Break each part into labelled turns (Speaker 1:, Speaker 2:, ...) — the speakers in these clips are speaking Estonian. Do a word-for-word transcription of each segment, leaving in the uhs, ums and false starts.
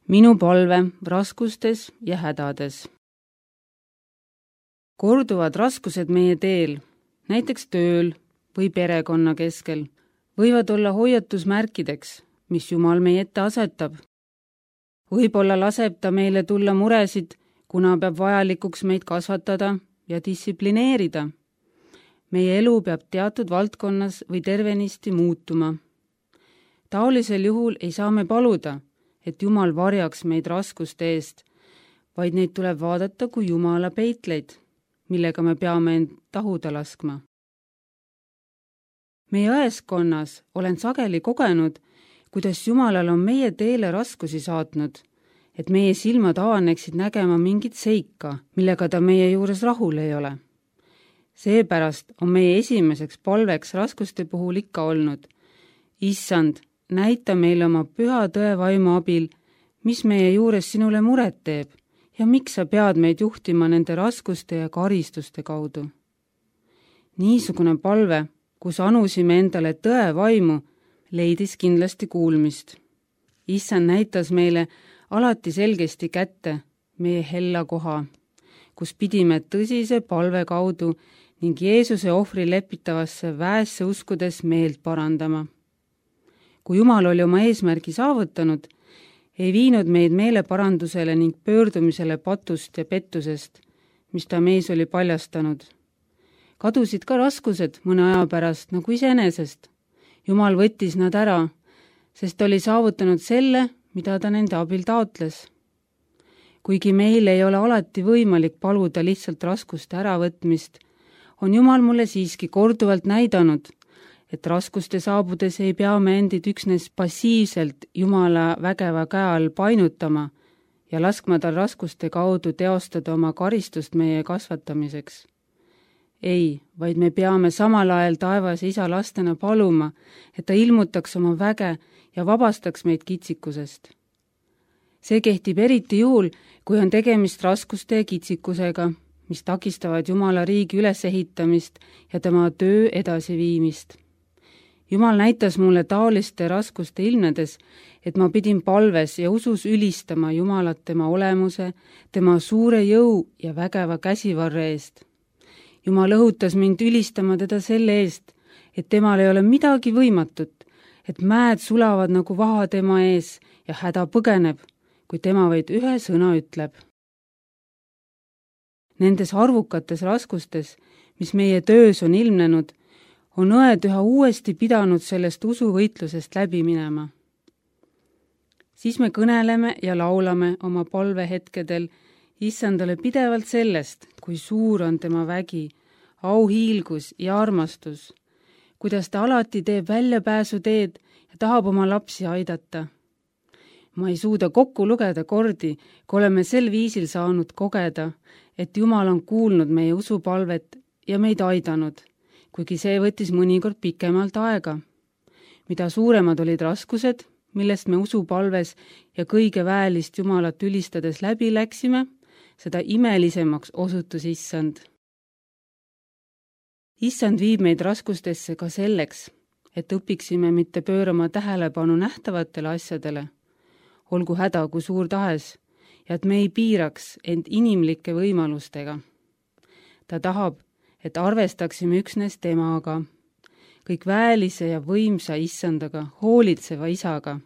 Speaker 1: Minu palve raskustes ja hädades. Korduvad raskused meie teel, näiteks tööl või perekonna keskel, võivad olla hoiatusmärkideks, mis Jumal meie ette asetab. Võib-olla laseb ta meile tulla muresid, kuna peab vajalikuks meid kasvatada ja distsiplineerida. Meie elu peab teatud valdkonnas või tervenisti muutuma. Taolisel juhul ei saa me paluda, et Jumal varjaks meid raskuste eest, vaid neid tuleb vaadata kui Jumala peitleid, millega me peame end tahuda laskma. Meie õeskonnas olen sageli kogenud, kuidas Jumalal on meie teele raskusi saatnud, et meie silmad avaneksid nägema mingit seika, millega ta meie juures rahul ei ole. Seepärast on meie esimeseks palveks raskuste puhul ikka olnud: Issand, näita meile oma püha tõevaimu abil, mis meie juures sinule muret teeb ja miks sa pead meid juhtima nende raskuste ja karistuste kaudu. Niisugune palve, kus anusime endale tõevaimu, leidis kindlasti kuulmist. Issand näitas meile alati selgesti kätte meie hella koha, kus pidime tõsise palve kaudu ning Jeesuse ohvri lepitavasse väesse uskudes meelt parandama. Kui Jumal oli oma eesmärgi saavutanud, ei viinud meid meeleparandusele ning pöördumisele patust ja pettusest, mis ta meis oli paljastanud. Kadusid ka raskused mõne aja pärast nagu iseenesest. Jumal võttis nad ära, sest oli saavutanud selle, mida ta nende abil taotles. Kuigi meil ei ole alati võimalik paluda lihtsalt raskuste äravõtmist, on Jumal mulle siiski korduvalt näidanud, et raskuste saabudes ei pea me endid üksnes passiivselt Jumala vägeva käe all painutama ja laskma tal raskuste kaudu teostada oma karistust meie kasvatamiseks. Ei, vaid me peame samal ajal taevase isa lastena paluma, et ta ilmutaks oma väge ja vabastaks meid kitsikusest. See kehtib eriti juhul, kui on tegemist raskuste ja kitsikusega, mis takistavad Jumala riigi ülesehitamist ja tema töö edasiviimist. Jumal näitas mulle taoliste raskuste ilmnedes, et ma pidin palves ja usus ülistama Jumalat tema olemuse, tema suure jõu ja vägeva käsivarre eest. Jumal õhutas mind ülistama teda selle eest, et temal ei ole midagi võimatut, et mäed sulavad nagu vaha tema ees ja häda põgeneb, kui tema vaid ühe sõna ütleb. Nendes arvukates raskustes, mis meie töös on ilmnenud, on õed üha uuesti pidanud sellest usuvõitlusest läbi minema. Siis me kõneleme ja laulame oma palvehetkedel Issandale pidevalt sellest, kui suur on tema vägi, auhiilgus ja armastus, kuidas ta alati teeb väljapääsu teed ja tahab oma lapsi aidata. Ma ei suuda kokku lugeda kordi, kui oleme sel viisil saanud kogeda, et Jumal on kuulnud meie usupalvet ja meid aidanud, kuigi see võttis mõnikord pikemalt aega. Mida suuremad olid raskused, millest me usupalves ja kõige väelist Jumalat ülistades läbi läksime, seda imelisemaks osutus Issand. Issand viib meid raskustesse ka selleks, et õpiksime mitte pöörama tähelepanu nähtavatele asjadele, olgu häda kui suur tahes, ja et me ei piiraks end inimlike võimalustega. Ta tahab, et arvestaksime üksnes temaga, kõik väelise ja võimsa Issandaga, hoolitseva isaga.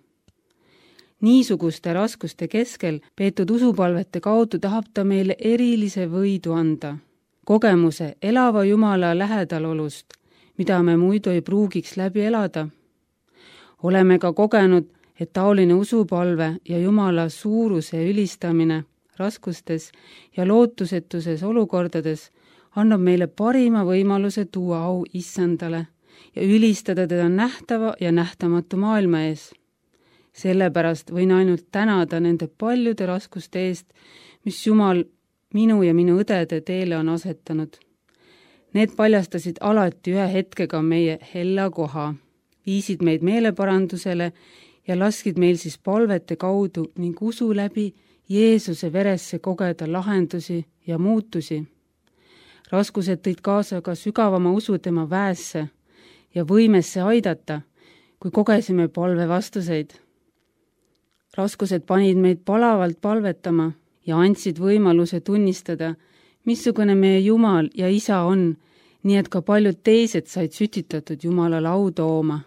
Speaker 1: Niisuguste raskuste keskel peetud usupalvete kaudu tahab ta meile erilise võidu anda, kogemuse elava Jumala lähedalolust, mida me muidu ei pruugiks läbi elada. Oleme ka kogenud, et taoline usupalve ja Jumala suuruse ülistamine raskustes ja lootusetuses olukordades annab meile parima võimaluse tuua au Issandale ja ülistada teda nähtava ja nähtamatu maailma ees. Sellepärast võin ainult tänada nende paljude raskuste eest, mis Jumal minu ja minu õdede teele on asetanud. Need paljastasid alati ühe hetkega meie hella koha, viisid meid meeleparandusele ja laskid meil siis palvete kaudu ning usu läbi Jeesuse veresse kogeda lahendusi ja muutusi. Raskused tõid kaasa ka sügavama usu tema väesse ja võimesse aidata, kui kogesime palve vastuseid. raskused panid meid palavalt palvetama ja andsid võimaluse tunnistada, missugune meie Jumal ja Isa on, nii et ka paljud teised said sütitatud Jumalale au tooma.